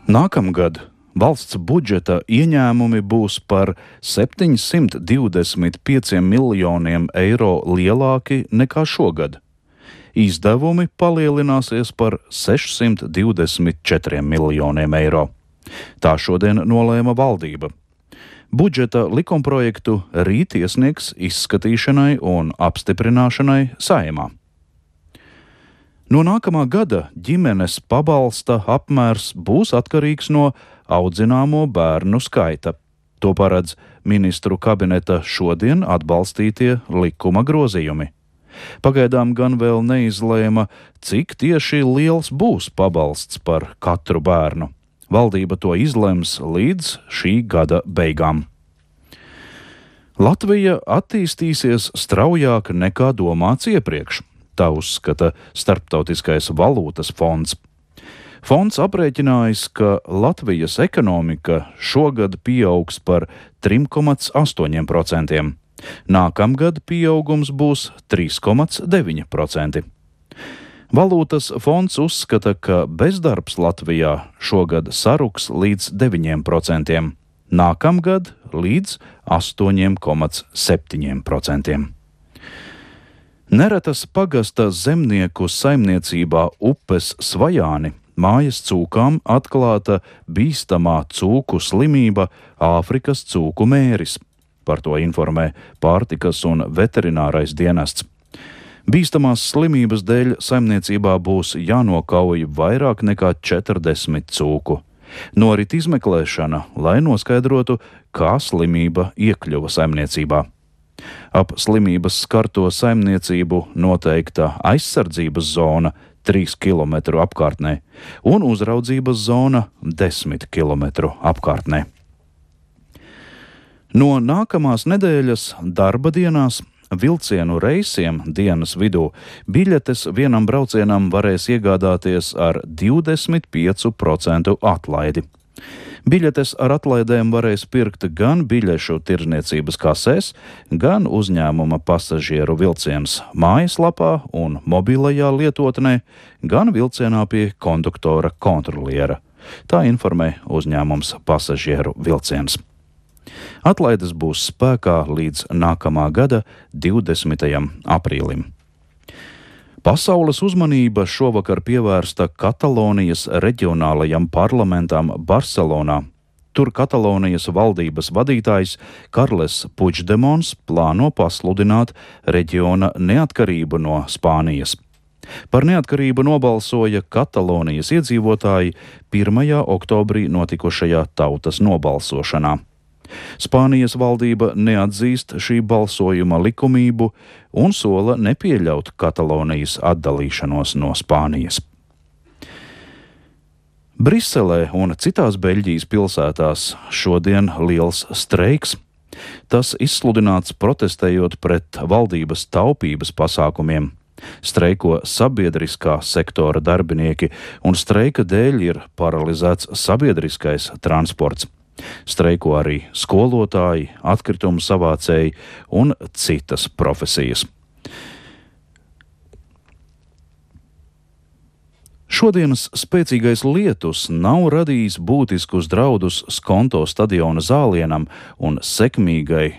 Nākamgad valsts budžeta ieņēmumi būs par 725 miljoniem eiro lielāki nekā šogad. Izdevumi palielināsies par 624 miljoniem eiro. Tā šodien nolēma valdība. Budžeta likumprojektu rīt iesniegs izskatīšanai un apstiprināšanai Saeimā. No nākamā gada ģimenes pabalsta apmērs būs atkarīgs no audzināmo bērnu skaita. To paredz ministru kabineta šodien atbalstītie likuma grozījumi. Pagaidām gan vēl neizlēma, cik tieši liels būs pabalsts par katru bērnu. Valdība to izlems līdz šī gada beigām. Latvija attīstīsies straujāk nekā domāts iepriekš. Tā uzskata Starptautiskais valūtas fonds. Fonds aprēķinājis, ka Latvijas ekonomika šogad pieaugs par 3,8%. Nākamgad pieaugums būs 3,9%. Valūtas fonds uzskata, ka bezdarbs Latvijā šogad saruks līdz 9%, nākamgad līdz 8,7%. Neretas pagasta zemnieku saimniecībā Upes Svajāni mājas cūkām atklāta bīstamā cūku slimība Āfrikas cūku mēris. Par to informē pārtikas un veterinārais dienests. Bīstamās slimības dēļ saimniecībā būs jānokauj vairāk nekā 40 cūku. Norit izmeklēšana, lai noskaidrotu, kā slimība iekļuva saimniecībā. Ap slimības skarto saimniecību noteikta aizsardzības zona 3 km apkārtnē un uzraudzības zona 10 km apkārtnē. No nākamās nedēļas darba dienās vilcienu reisiem dienas vidū biļetes vienam braucienam varēs iegādāties ar 25% atlaidi. Biļetes ar atlaidēm varēs pirkt gan biļešu tirdzniecības kasēs, gan uzņēmuma pasažieru vilciens mājaslapā un mobilajā lietotnē, gan vilcienā pie konduktora kontroliera. Tā informē uzņēmums Pasažieru vilciens. Atlaides būs spēkā līdz nākamā gada 20. aprīlim. Pasaules uzmanība šovakar pievērsta Katalonijas reģionālajam parlamentam Barcelonā. Tur Katalonijas valdības vadītājs Karles Puigdemons plāno pasludināt reģiona neatkarību no Spānijas. Par neatkarību nobalsoja Katalonijas iedzīvotāji 1. oktobrī notikušajā tautas nobalsošanā. Spānijas valdība neatzīst šī balsojuma likumību un sola nepieļaut Katalonijas atdalīšanos no Spānijas. Briselē un citās Beļģijas pilsētās šodien liels streiks. Tas izsludināts protestējot pret valdības taupības pasākumiem. Streiko sabiedriskā sektora darbinieki un streika dēļ ir paralizēts sabiedriskais transports. Streiko arī skolotāji, atkritumu savācēji un citas profesijas. Šodienas spēcīgais lietus nav radījis būtiskus draudus Skonto stadiona zālienam un sekmīgai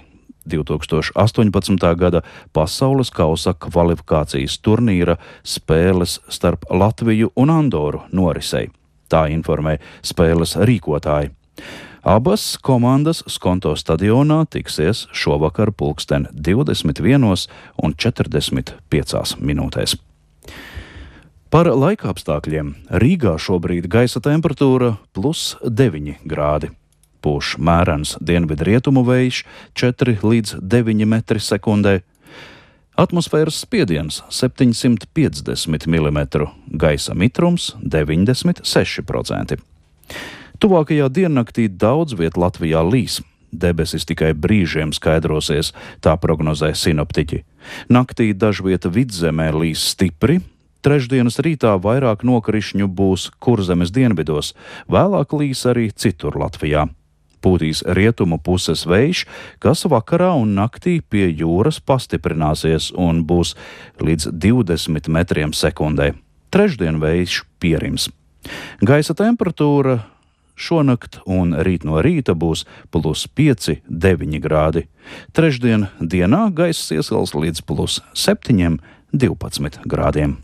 2018. gada pasaules kausa kvalifikācijas turnīra spēles starp Latviju un Andoru norisei. Tā informē spēles rīkotāji. Abas komandas Skonto stadionā tiksies šovakar 21:45. Par laikapstākļiem. Rīgā šobrīd gaisa temperatūra +9 grādi. Pūš mērens dienvidrietumu vējš 4 līdz 9 metri sekundē. Atmosfēras spiediens 750 mm, gaisa mitrums 96%. Tuvākajā diennaktī daudz viet Latvijā līs. Debesis tikai brīžiem skaidrosies, tā prognozē sinoptiķi. Naktī dažviet vidzemē līs stipri. Trešdienas rītā vairāk nokrišņu būs Kurzemes dienvidos, vēlāk līs arī citur Latvijā. Pūtīs rietumu puses vējš, kas vakarā un naktī pie jūras pastiprināsies un būs līdz 20 metriem sekundē. Trešdien vējš pierims. Gaisa temperatūra šonakt un rīt no rīta būs +5, 9 grādi. Trešdien dienā gaiss iesils līdz +7, 12 grādiem.